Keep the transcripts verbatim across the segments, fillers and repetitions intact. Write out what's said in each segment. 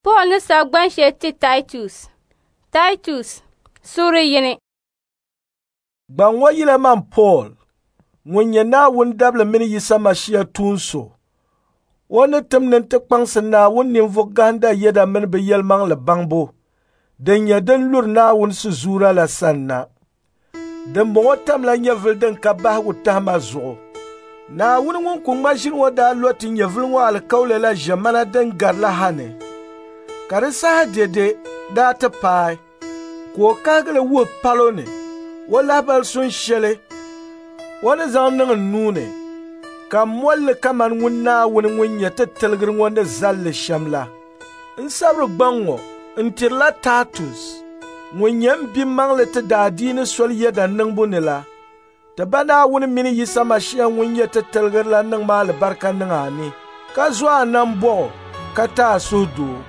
Paul ni sabi gban shɛli ti Taitus. Taitus, suuri yini. Gbaŋ ŋɔ yila man Paul, ŋun nyɛ Naawuni dabili mini Yisa Mashia tuun so. O ni tim ni n ti kpaŋsi Naawuni ninvuɣ gahinda yɛda mini bɛ yɛlimaŋli baŋbu din nyɛ din luri Naawuni sizuura la sanna. Dimbɔŋɔ tamla nyɛvili din ka bahigu tahima zuɣu. Naawuni ŋun ku ŋma ʒili ŋɔ daa lo ti nyɛvili ŋɔ alikauli la ʒiɛmana din gari la ha ni, ka di saha dɛde daa ti paai, ka o kahigi li wuhi palo ni o lahibali sun shɛli o ni zaŋ niŋ n nuu ni, ka m moli li kaman ŋun Naawuni ŋun nyɛ ti tiligiri ŋɔ ni zali li shɛm la. N sabiri gbaŋ ŋɔ n tirila Taitus ŋun nyɛ m bimaŋli ti daadiini soli yɛda niŋbu ni la. Ti Ba Naawuni mini Yisa Mashia ŋun nyɛ ti tiligiri la niŋmi alibarika niŋ a ni, ka zo a nambɔɣu ka ti a suhudoo.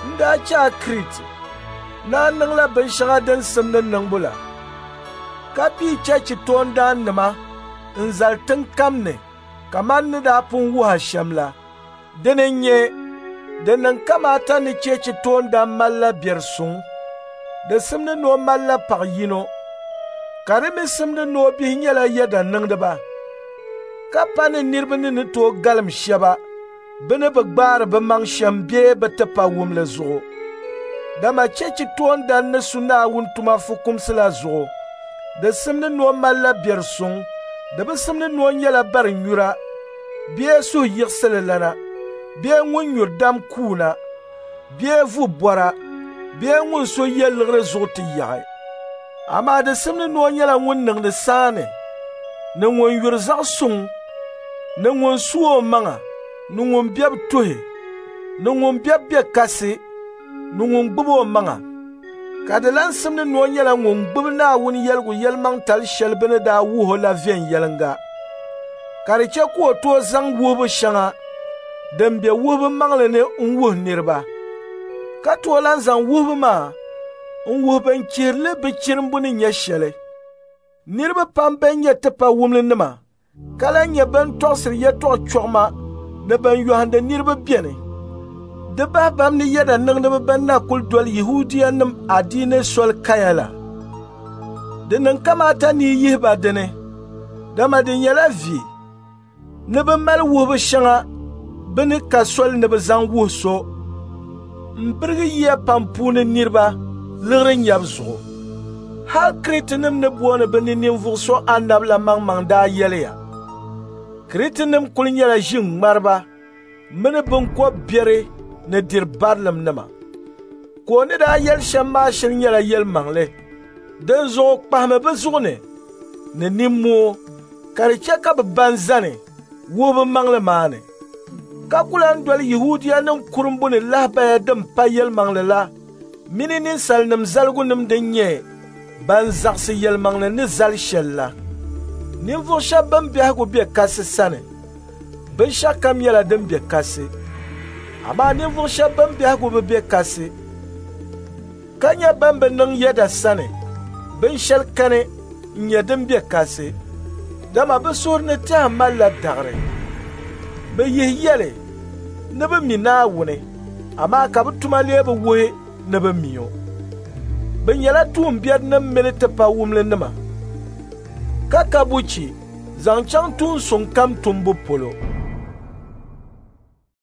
N daa chɛ a Kriti ni a niŋla binshɛŋa din simdi niŋbu la, ka pii chechi toondaannima n-zali tiŋ kam ni kaman ni daa pun wuhi a shɛm la. Dini n-nyɛ di niŋ kamaata ni chechi toondan malila biɛri suŋ. Di simdi ni o malila paɣ yino, ka di mi simdi ni o bihi nyɛla yɛda niŋdiba, ka pa ni niriba ni ni tooi galim shɛba bɛ ni bi gbaari bɛ maŋ shɛm bee bɛ tipawumli zuɣu. Dama chechi toondan ni su Naawuni tuma fukumsi la zuɣu, di simdi ni o malila biɛri suŋ, di bi simdi ni o nyɛla barinyura bee suhuyiɣisililana bee ŋun nyuri dam kuuna bee vubɔra bee ŋun so ye liɣiri zuɣu ti yaɣi. Amaa di simdi ni o nyɛla ŋun niŋdi saani, ni ŋun yuri zaɣ suŋ, ni ŋun su o maŋa, ni ŋun bebu tuhi, ni ŋun bebu be kasi, ni ŋun gbubi o maŋa. Ka di lan simdi ni o nyɛla ŋun gbubi Naawuni yɛligu yɛlimaŋtali shɛli bɛ ni daa wuhi o la viɛnyɛliŋga, ka di chɛ ka o tooi zaŋ wuhibu shɛŋa din be wuhibu maŋli ni n-wuhi niriba, ka tooi lan zaŋ wuhibu maa n-wuhi bɛn chihiri li bɛ chirimbu ni nyɛ shɛli. Niriba pam bɛn nyɛ tipawumlinima ka lan nyɛ bɛn tɔɣisiri yɛtɔɣ chɔɣima ni bɛn yɔhindi niriba beni. Di bahi bam ni yɛda niŋdiba bɛn na kul doli Yɛhudianim adiini soli kaya la. Di niŋ kamaata ni yi yihi ba dini, dama di nyɛla vi ni bɛ mali wuhibu shɛŋa bɛ ni ka soli ni bɛ zaŋ wuhi so m-birigi yiya pam puuni niriba liɣiri nyabu zuɣu. Hal Kritinim ni booni bɛ ni ninvuɣ so anabi la maŋmaŋ daa yɛliya, Kritinim kul nyɛla ʒiŋmariba mini biŋkɔb biɛri ni diri barilimnima. Ka o ni daa yɛli shɛm maa shiri nyɛla yɛlimaŋli. Dinzuɣu kpahimi bɛ zuɣu ni ni nimmoo, ka di chɛ ka bɛ ban zani wuhibu maŋli maa ni, ka ku lan doli Yɛhudianim kurimbu ni lahibaya din pa yɛlimaŋli la mini ninsalinim zaligunim din nyɛ ban zaɣisi yɛlimaŋli ni zali shɛli la. Ninvuɣ shɛba bɛn biɛhigu be kasi sani, binshɛɣukam nyɛla din be kasi. Amaa ninvuɣ shɛba bɛn biɛhigu bi be kasi, ka nyɛ bɛn bi niŋ yɛda sani, binshɛli kani n-nyɛ din be kasi, dama bɛ suhuri ni tɛha malila daɣiri. Bɛ yihi yɛli ni bɛ mi Naawuni, amaa ka bɛ tuma lee bi wuhi ni bɛ mi o. Bɛ nyɛla tuumbiɛrinim mini tipawumlinima, ka ka buchi zaŋ chaŋ tuun suŋ kam tumbu polo.